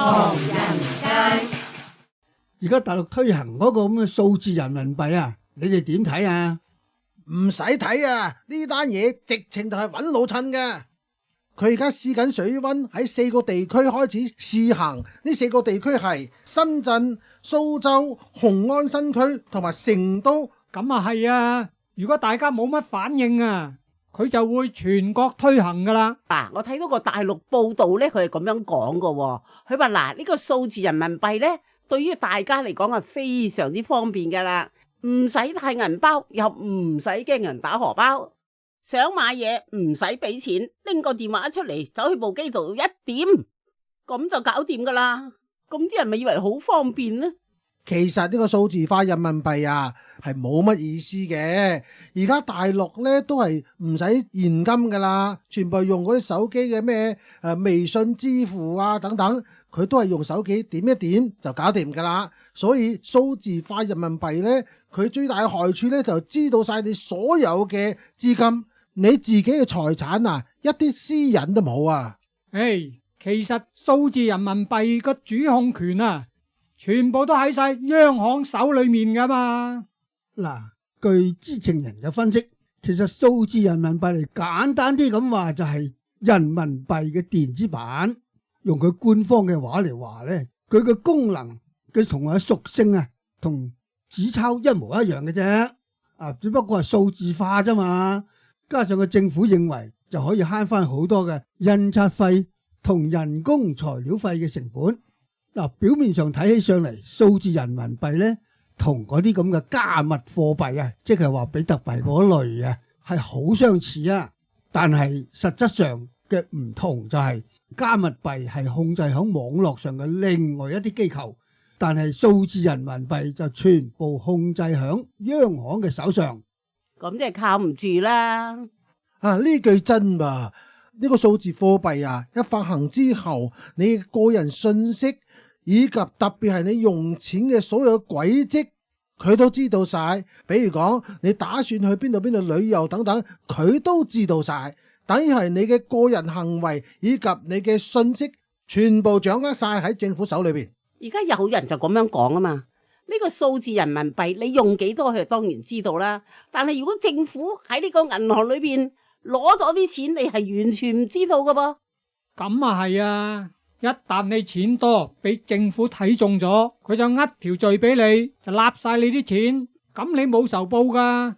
唐人街。而家大陸推行嗰個咁嘅數字人民幣啊，你哋點睇啊？唔使睇啊，呢單嘢直情就係揾老襯嘅。佢而家試緊水溫，喺4個地區開始試行。呢4個地區係深圳、蘇州、雄安新區同埋成都。咁啊係啊，如果大家冇乜反應啊，佢就會全國推行噶啦。我睇到個大陸報道咧，佢係咁樣講噶。佢話呢個數字人民幣咧，對於大家嚟講係非常之方便噶啦，唔使帶銀包，又唔使驚人打荷包。想買嘢唔使俾錢，拎個電話出嚟，走去部機度一點，咁就搞掂噶啦。咁啲人咪以為好方便呢？其實呢個數字化人民幣啊，係冇乜意思嘅。而家大陸咧都係唔使現金噶啦，全部用嗰啲手機嘅咩微信支付啊等等，佢都係用手機點一點就搞掂噶啦。所以數字化人民幣咧，佢最大嘅害處咧就知道晒你所有嘅資金。你自己嘅財產啊，一啲私隱都冇啊！其實數字人民幣個主控權啊，全部都喺晒央行手裏面噶嘛。嗱，據知情人嘅分析，其實數字人民幣嚟簡單啲咁話就係人民幣嘅電子版。用佢官方嘅話嚟話咧，佢嘅功能佢同埋屬性啊，同紙鈔一模一樣嘅啫。只不過係數字化啫嘛。加上個政府認為就可以慳翻好多嘅印刷費同人工材料費嘅成本。表面上睇起上嚟，數字人民幣咧同嗰啲咁嘅加密貨幣啊，即係話比特幣嗰類啊，係好相似啊。但係實質上嘅唔同就係加密幣係控制喺網絡上嘅另外一啲機構，但係數字人民幣就全部控制喺央行嘅手上。咁即係靠唔住啦。呢句真噃，呢個數字貨幣啊，一發行之後，你個人信息以及特別係你用錢嘅所有軌跡，佢都知道晒。比如講你打算去邊度旅遊等等，佢都知道晒。等於係你嘅個人行為以及你嘅信息，全部掌握晒喺政府手裏邊。而家有人就咁樣講啊嘛。呢個數字人民幣你用幾多，佢當然知道啦。但係如果政府喺呢個銀行裏邊攞咗啲錢，你係完全唔知道噶噃。咁啊係啊，一旦你錢多，俾政府睇中咗，佢就呃條罪俾你，就納晒你啲錢，咁你冇仇報噶。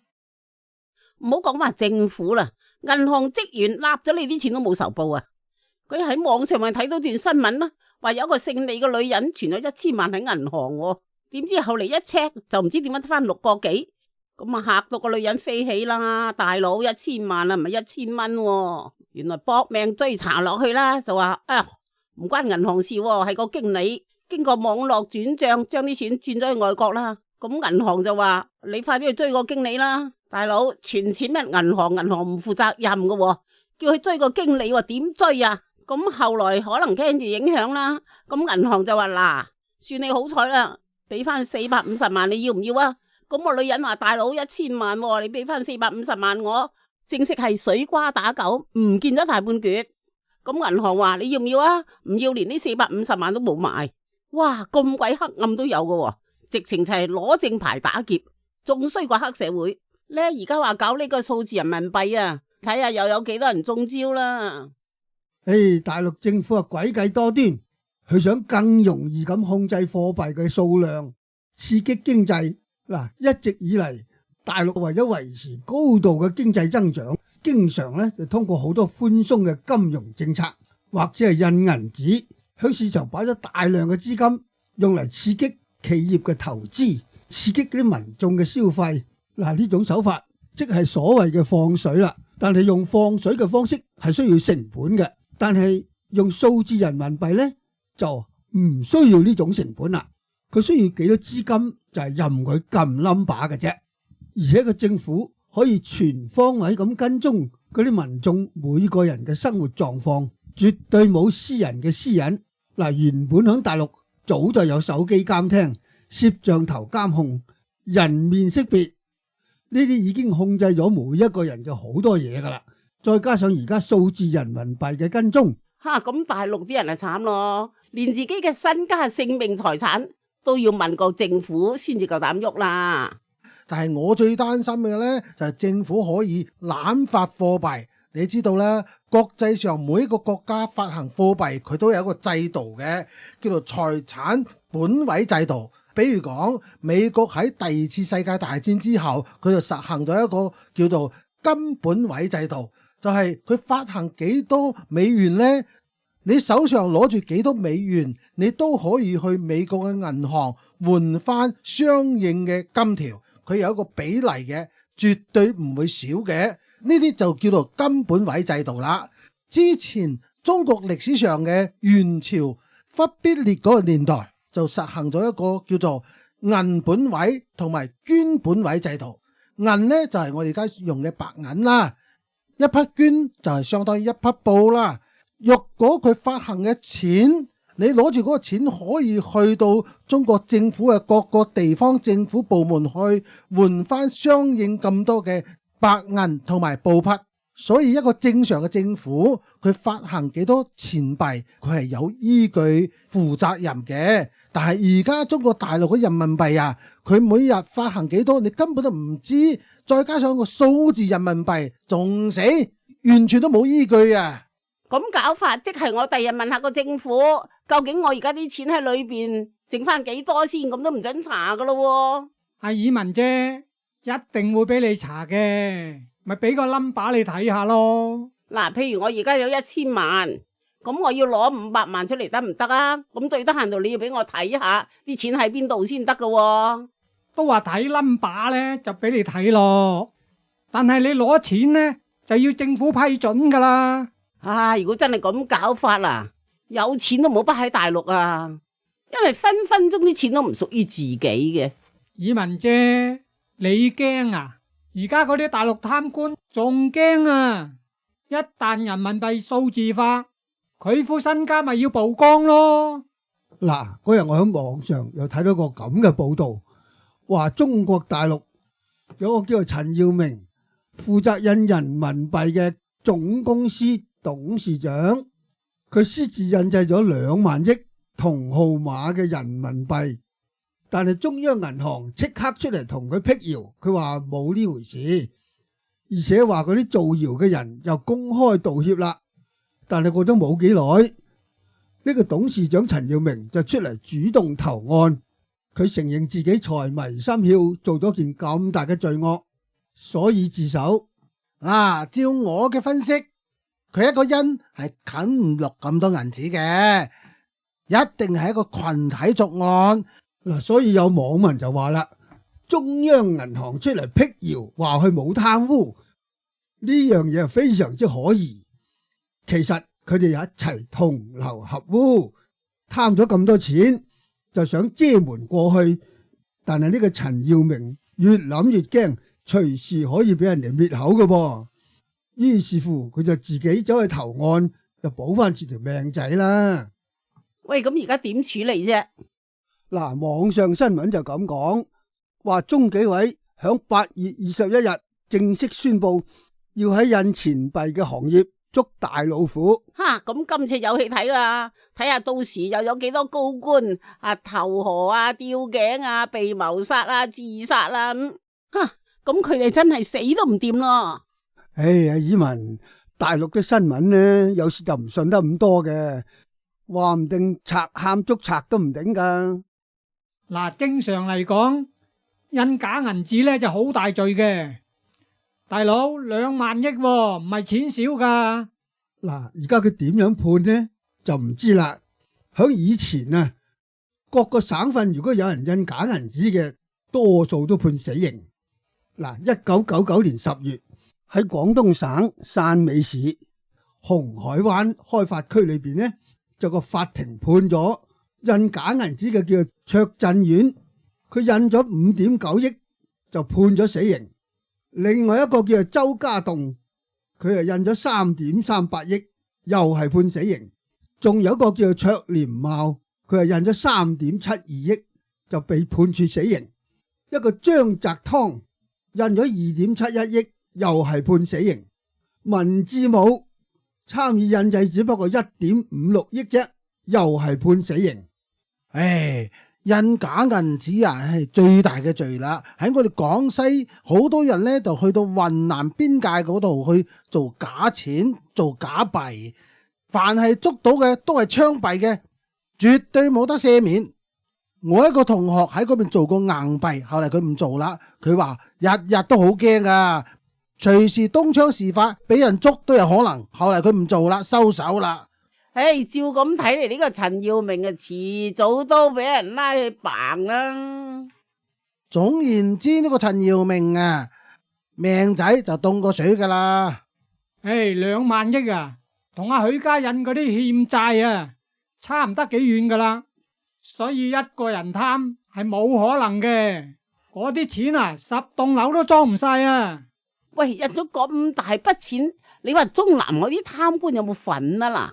唔好講話政府啦，銀行職員納咗你啲錢都冇仇報啊。佢喺網上咪睇到段新聞啦，話有個姓李嘅女人存咗1000萬喺銀行。點知後嚟一 check 就唔知點樣得翻6個幾，咁啊嚇到個女人飛起啦！大佬1000萬啊，唔係1000蚊，原來搏命追查落去啦，就話唔關銀行事，係個經理經過網絡轉賬將啲錢轉咗去外國啦。咁銀行就話你快啲去追個經理啦，大佬存錢咩銀行唔負責任嘅，叫佢追個經理，點追啊？咁後來可能驚住影響啦，咁銀行就話嗱，算你好彩啦。俾翻450萬，你要唔要啊？咁個女人話大佬1000萬，你俾翻450萬我，正式係水瓜打狗，唔見咗大半橛。咁銀行話你要唔要啊？唔要，連呢450萬都冇埋。哇，咁鬼黑暗都有嘅，直情就係攞正牌打劫，仲衰過黑社會咧。而家話搞呢個數字人民幣啊，睇下又有幾多人中招啦。大陸政府啊詭計多端。佢想更容易咁控制貨幣嘅數量，刺激經濟。一直以嚟，大陸為咗維持高度嘅經濟增長，經常咧就通過好多寬鬆嘅金融政策，或者係印銀紙，喺市場擺咗大量嘅資金，用嚟刺激企業嘅投資，刺激嗰啲民眾嘅消費。呢種手法即係所謂嘅放水啦。但係用放水嘅方式係需要成本嘅，但係用數字人民幣咧，就唔需要呢種成本啦，佢需要幾多資金就係任佢撳 number 嘅啫，而且個政府可以全方位咁跟蹤嗰啲民眾每個人嘅生活狀況，絕對冇私人嘅私隱。原本喺大陸早就有手機監聽、攝像頭監控、人面識別，呢啲已經控制咗每一個人嘅好多嘢噶啦，再加上而家數字人民幣嘅跟蹤。咁大陸啲人係慘咯，連自己嘅身家、性命、財產都要問過政府先至夠膽喐啦。但係我最擔心嘅呢，就係政府可以濫發貨幣。你知道啦，國際上每一個國家發行貨幣佢都有一個制度嘅，叫做財產本位制度。比如講美國喺第二次世界大戰之後，佢就實行咗一個叫做金本位制度，就係佢發行幾多美元呢，你手上攞住幾多美元，你都可以去美國嘅銀行換翻相應嘅金條，佢有一個比例嘅，絕對唔會少嘅。呢啲就叫做金本位制度啦。之前中國歷史上嘅元朝忽必烈嗰個年代就實行咗一個叫做銀本位同埋絹本位制度。銀呢就係我哋而家用嘅白銀啦，一匹絹就係相當於一匹布啦。若果佢發行嘅錢，你攞住嗰個錢可以去到中國政府嘅各個地方政府部門去換翻相應咁多嘅白銀同埋布匹，所以一個正常嘅政府佢發行幾多錢幣，佢係有依據負責任嘅。但係而家中國大陸嘅人民幣啊，佢每日發行幾多你根本都唔知，再加上個數字人民幣仲死，完全都冇依據啊！咁搞法即係我第日問下個政府，究竟我而家啲錢喺裏邊剩翻幾多先，咁都唔准查噶咯。阿爾文姐一定會俾你查嘅，咪俾個 number 你睇下咯。嗱，譬如我而家有1000萬，咁我要攞500萬出嚟得唔得啊？咁最得閒度你要俾我睇下啲錢喺邊度先得噶。都話睇 number 咧就俾你睇咯，但係你攞錢呢就要政府批准噶啦。如果真係咁搞法啊，有錢都冇得喺大陸啊，因為分分鐘啲錢都唔屬於自己嘅。爾文姐，你驚啊？而家嗰啲大陸貪官仲驚啊！一旦人民幣數字化，佢副身家咪要曝光咯。嗱，嗰日我喺網上又睇到個咁嘅報道，話中國大陸有個叫做陳耀明，負責印人民幣嘅總公司董事長，佢私自印製咗2萬億同號碼嘅人民幣，但係中央銀行即刻出嚟同佢辟謠，佢話冇呢回事，而且話嗰啲造謠嘅人又公開道歉啦。但係過咗冇幾耐，呢個董事長陳耀明就出嚟主動投案，佢承認自己財迷心竅，做咗件咁大嘅罪惡，所以自首。照我嘅分析，佢一個人係啃唔落咁多銀紙嘅，一定係一個群體作案。所以有網民就話啦，中央銀行出嚟辟謠，話佢冇貪污，呢樣嘢係非常之可疑。其實佢哋一齊同流合污，貪咗咁多錢，就想遮瞞過去。但係呢個陳耀明越諗越驚，隨時可以俾人哋滅口㗎噃。於是乎，佢就自己走去投案，就保翻住條命仔啦。喂，咁而家點處理啫？網上新聞就咁講，話中紀委響8月21日正式宣布，要喺印錢幣嘅行業捉大老虎。咁今次有戲睇啦，睇下到時又有幾多高官投河吊頸被謀殺自殺啦。咁佢哋真係死都唔掂咯。阿爾文，大陸嘅新聞呢，有時就唔信得咁多嘅，話唔定賊喊捉賊都唔頂噶。正常嚟講，印假銀紙咧就好大罪嘅。大佬2萬億唔係錢少噶。而家佢點樣判呢？就唔知啦。響以前各個省份如果有人印假銀紙嘅，多數都判死刑。1999年10月喺廣東省汕尾市紅海灣開發區裏邊呢，就個法庭判咗印假銀紙嘅叫卓振遠，佢印咗5.9億就判咗死刑。另外一個叫做周家棟，佢印咗3.38億，又係判死刑。仲有一個叫做卓廉茂，佢印咗3.72億，就被判處死刑。一個張澤湯印咗2.71億，又係判死刑。文志武參與印製只不過1.56億啫，又係判死刑。唉，印假銀紙啊，係最大嘅罪啦。喺我哋廣西，好多人呢就去到雲南邊界嗰度去做假錢、做假幣，凡係捉到嘅都係槍斃嘅，絕對冇得赦免。我一個同學喺嗰邊做過硬幣，後嚟佢唔做啦，佢話日日都好驚噶，隨時東窗事發，俾人捉都有可能。後嚟佢唔做啦，收手啦。唉，照咁睇嚟，呢個陳耀明啊，遲早都俾人拉去辦啦。總言之，呢個陳耀明啊，命仔就凍過水噶啦。唉，2萬億啊，同阿許家印嗰啲欠債啊，差唔得幾遠噶啦。所以一個人貪係冇可能嘅，嗰啲錢啊，10棟樓都裝唔晒啊！喂，印咗咁大筆錢，你話中南嗰啲貪官有冇份啊嗱？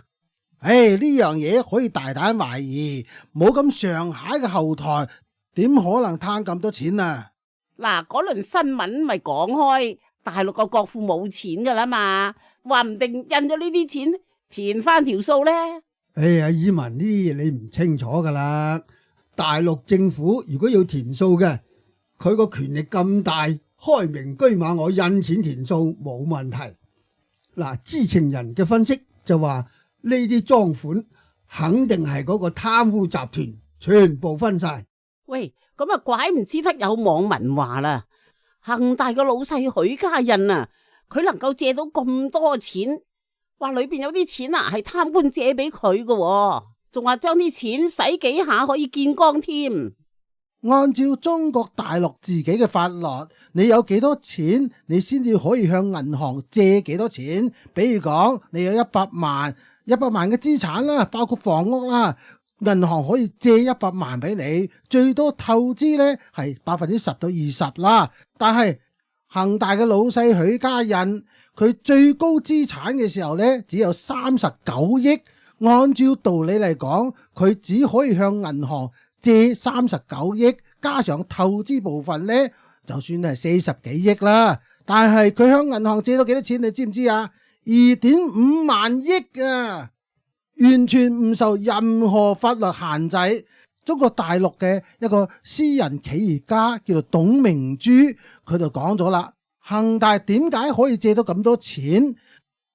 唉，呢樣嘢可以大膽懷疑，冇咁上下嘅後台，點可能貪咁多錢啊？嗱，嗰輪新聞咪講開，大陸個國庫冇錢噶啦嘛，話唔定印咗呢啲錢填翻條數呢。哎呀，以文呢啲嘢你唔清楚噶啦。大陸政府如果要填數嘅，佢個權力咁大，開明居馬我印錢填數冇問題。嗱，知情人嘅分析就話呢啲贓款肯定係嗰個貪污集團全部分晒。喂，咁啊怪唔知得有網民話啦，恒大個老細許家印啊，佢能夠借到咁多錢，話裏邊有啲錢啊係貪官借俾佢嘅，仲話將啲錢使幾下可以見光添。按照中國大陸自己嘅法律，你有幾多錢，你先至可以向銀行借幾多錢。比如講，你有100萬嘅資產啦，包括房屋啦，銀行可以借100萬俾你，最多透支呢係10%到20%啦。但係恒大嘅老細許家印，佢最高資產嘅時候呢，只有39億。按照道理嚟講，佢只可以向銀行借39億，加上透支部分呢，就算係40幾億啦。但係佢向銀行借到幾多錢，你知唔知啊？2.5萬億啊，完全唔受任何法律限制。中國大陸嘅一個私人企業家叫做董明珠，佢就講咗啦，恒大點解可以借到咁多錢？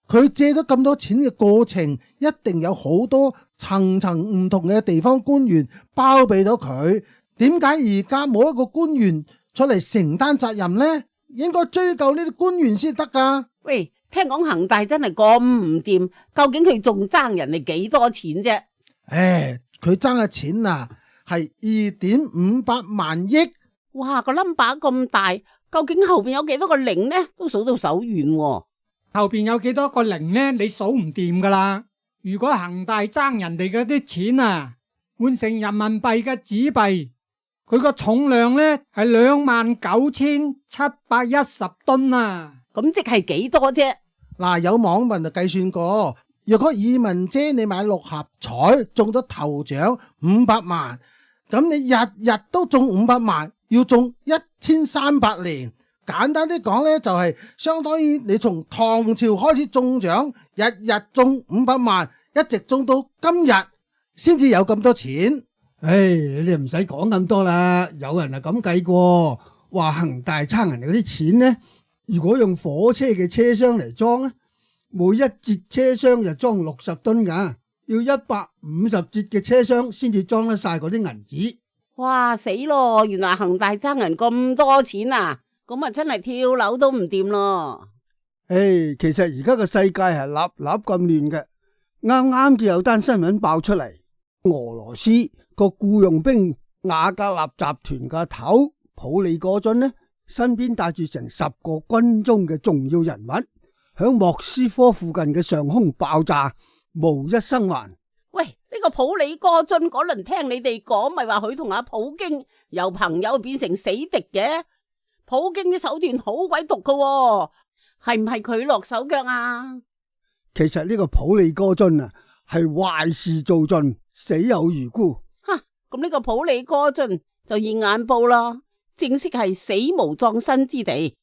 佢借咗咁多錢嘅過程，一定有好多層層唔同嘅地方官員包庇咗佢。點解而家冇一個官員出嚟承擔責任呢？應該追究呢啲官員先得噶。喂，聽講恒大真係咁唔掂，究竟佢仲爭人哋幾多錢啫？唉，佢爭嘅錢啊，係2.58萬億。哇，個 number 咁大，究竟後邊有幾多個零呢？都數到手軟喎。後邊有幾多個零呢？你數唔掂噶啦！如果恒大爭人哋嗰啲錢啊，換成人民幣嘅紙幣，佢個重量呢係29,710噸啊！咁即係幾多啫？嗱，有網民就計算過，若果以文姐你買6合彩中咗頭獎500萬，咁你日日都中500萬，要中1300年。簡單啲講呢，就係相當於你從唐朝開始中獎，日日中500萬，一直中到今日，先至有咁多錢。唉，你哋唔使講咁多啦。有人係咁計過，話恒大爭人哋嗰啲錢呢，如果用火車嘅車廂嚟裝咧，每一節車廂就裝60噸噶，要150節嘅車廂先至裝得晒嗰啲銀紙。哇，死咯！原來恒大爭人咁多錢啊！咁啊，真係跳樓都唔掂咯！唉，其實而家個世界係立立咁亂嘅。啱啱就有單新聞爆出嚟，俄羅斯個僱傭兵瓦格納集團嘅頭普里戈津呢，身邊帶住成10個軍中嘅重要人物，響莫斯科附近嘅上空爆炸，無一生還。喂，呢個普里戈津嗰輪聽你哋講，咪話佢同阿普京由朋友變成死敵嘅？普京啲手段好鬼毒噶，係唔係佢落手腳啊？其實呢個普里戈津啊，係壞事做盡，死有餘辜。哈，咁呢個普里戈津就現眼報啦，正式係死無葬身之地。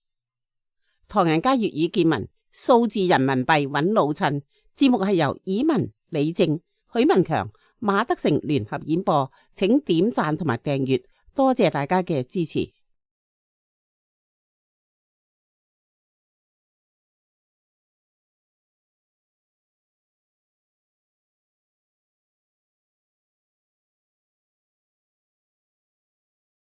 唐人街粵語見聞，數字人民幣揾老襯。節目係由以文、李正、許文強、馬德成聯合演播，請點讚同埋訂閱，多謝大家嘅支持。